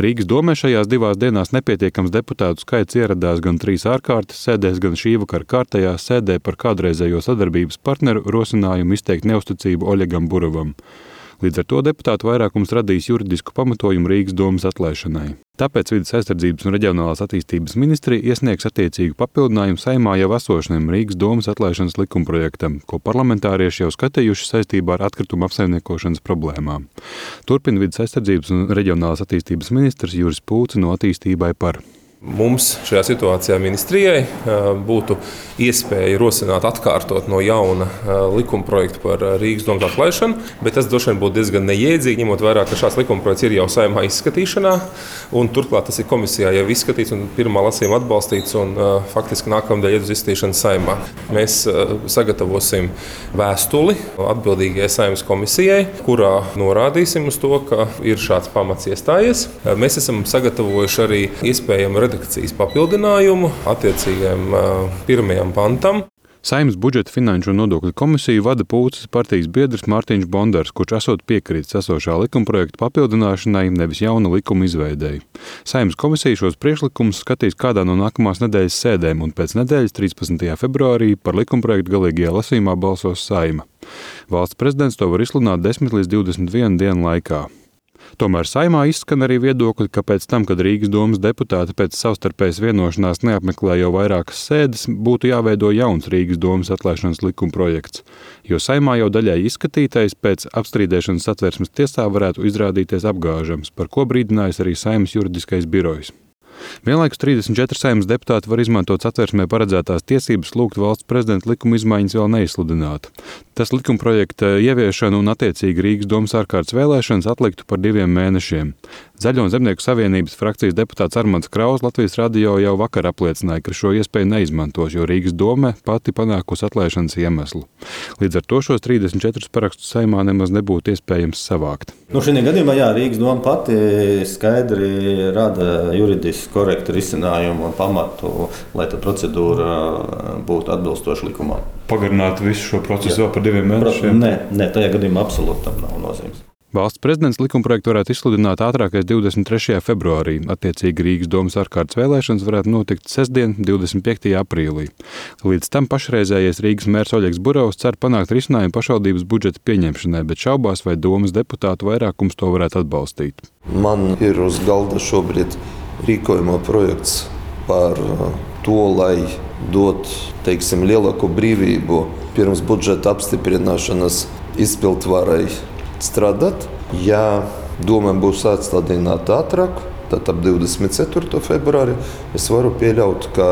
Rīgas domē šajās 2 dienās nepietiekams deputātu skaits ieradās gan 3 ārkārtas sēdēs, gan šī vakara kārtējā sēdē par kādreizējo sadarbības partneru rosinājumu izteikt neusticību Oļegam Burovam. Līdz ar to deputātu vairākums radīs juridisku pamatojumu Rīgas domas atlaišanai. Tāpēc Vides aizsardzības un reģionālās attīstības ministrija iesniegs attiecīgu papildinājumu Saeimā jau esošajam Rīgas domas atlaišanas likumprojektam, ko parlamentārieši jau skatījuši saistībā ar atkritumu apsaimniekošanas problēmām. Turpina Vides aizsardzības un reģionālās attīstības ministrs Juris Pūce no Attīstībai par. Mums šajā situācijā ministrijai būtu iespēja rosināt atkārtot no jauna likumprojektu par Rīgas domas atlaišanu, bet tas droši vien būtu diezgan neiedzīgi, ņemot vērā, ka šāds likumprojekts ir jau Saeimā izskatīšanā, un turklāt tas ir komisijā jau izskatīts un pirmā lasījuma atbalstīts, un faktiski nākamnedēļ iet uz izskatīšanu Saeimā. Mēs sagatavosim vēstuli atbildīgajai Saeimas komisijai, kurā norādīsim uz to, ka ir šāds pamats iestājies. Mēs esam sagatavojuši arī iespējamu redakcijas papildinājumu attiecīgajam 1. pantam. Saeimas budžeta finanšu un nodokļu komisiju vada Pūces partijas biedrs Mārtiņš Bondars, kurš esot piekrītis esošā likumprojekta papildināšanai, nevis jauna likuma izveidei. Saeimas komisija šos priekšlikumus skatīs kādā no nākamās nedēļas sēdēm, un pēc nedēļas 13. februārī par likumprojektu galīgajā lasījumā balsos Saeima. Valsts prezidents to var izsludināt 10 līdz 21 dienu laikā. Tomēr Saeimā izskan arī viedokļi, ka pēc tam, kad Rīgas domas deputāti pēc savstarpējas vienošanās neapmeklē jau vairākas sēdes, būtu jāveido jauns Rīgas domas atlaišanas likumprojekts, jo Saeimā jau daļai izskatītais pēc apstrīdēšanas Satversmes tiesā varētu izrādīties apgāžams, par ko brīdinājis arī Saeimas juridiskais birojs. Vienlaikus 34 Saeimas deputāti var izmantot Satversmē paredzētās tiesības lūgt valsts prezidenta likuma izmaiņas vēl neizsludināt. Tas likumprojekta ieviešanu un attiecīgi Rīgas domas ārkārtas vēlēšanas atliktu par 2 mēnešiem. Zaļo un Zemnieku savienības frakcijas deputāts Armands Kraus Latvijas radio jau vakar apliecināja, ka šo iespēju neizmantos, jo Rīgas doma pati panākusi atlaišanas iemeslu. Līdz ar to šos 34 parakstus Saeimā nemaz nebūtu iespējams savākt. Šajā gadījumā Rīgas doma pati skaidri rada juridiski korektu risinājumu un pamatu, lai tā procedūra būtu atbilstoša likumā. Pagarināt visu šo procesu vēl par 2 mēnešiem? Nē, tajā gadījumā absolūti tam nav nozīmes. Valsts prezidents likumprojektu varētu izsludināt ātrākais 23. februārī. Attiecīgi Rīgas domas ārkārtas vēlēšanas varētu notikt sestdien, 25. aprīlī. Līdz tam pašreizējais Rīgas mērs Oļegs Burovs cer panākt risinājumu pašvaldības budžeta pieņemšanai, bet šaubās, vai domas deputātu vairākums to varētu atbalstīt. Man ir uz galda šobrīd rīkojuma projekts par to, lai dot, lielāku brīvību pirms budžeta apstiprināšanas izpildvarai strādāt. Ja doma būs atstādināta ātrāk, tad ap 24. februāri es varu pieļaut, ka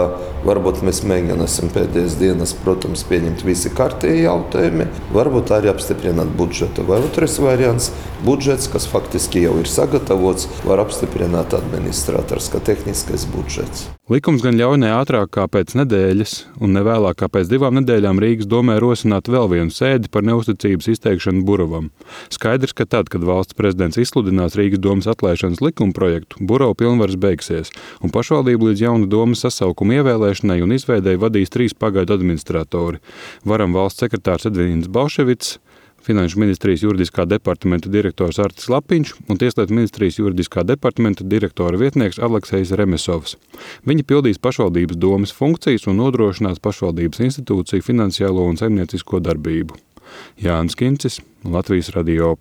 varbūt mēs mēģināsim pēdējās dienas, protams, pieņemt visi kārtīgi jautājumi, varbūt arī apstiprināt budžetu. Vai otrais variants - budžets, kas faktiski jau ir sagatavots, var apstiprināt administrators, kā tehniskais budžets. Likums gan ļauj ne ātrāk kā pēc nedēļas un ne vēlāk kā pēc 2 nedēļām Rīgas domē rosināt vēl vienu sēdi par neusticības izteikšanu Burovam. Skaidrs, ka tad, kad valsts prezidents izsludinās Rīgas domas atlaišanas likumprojektu, Burova pilnvaras beigsies, un pašvaldību līdz jaunu domas sasaukuma ievēlēšanai un izveidei vadīs 3 pagaidu administratori – varam valsts sekretārs Edvīns Balševits, Finanšu ministrijas juridiskā departamenta direktors Artis Lapiņš un Tieslietu ministrijas juridiskā departamenta direktora vietnieks Aleksejs Remesovs. Viņi pildīs pašvaldības domas funkcijas un nodrošinās pašvaldības institūciju finansiālo un saimniecisko darbību. Jānis Kincis, Latvijas radio.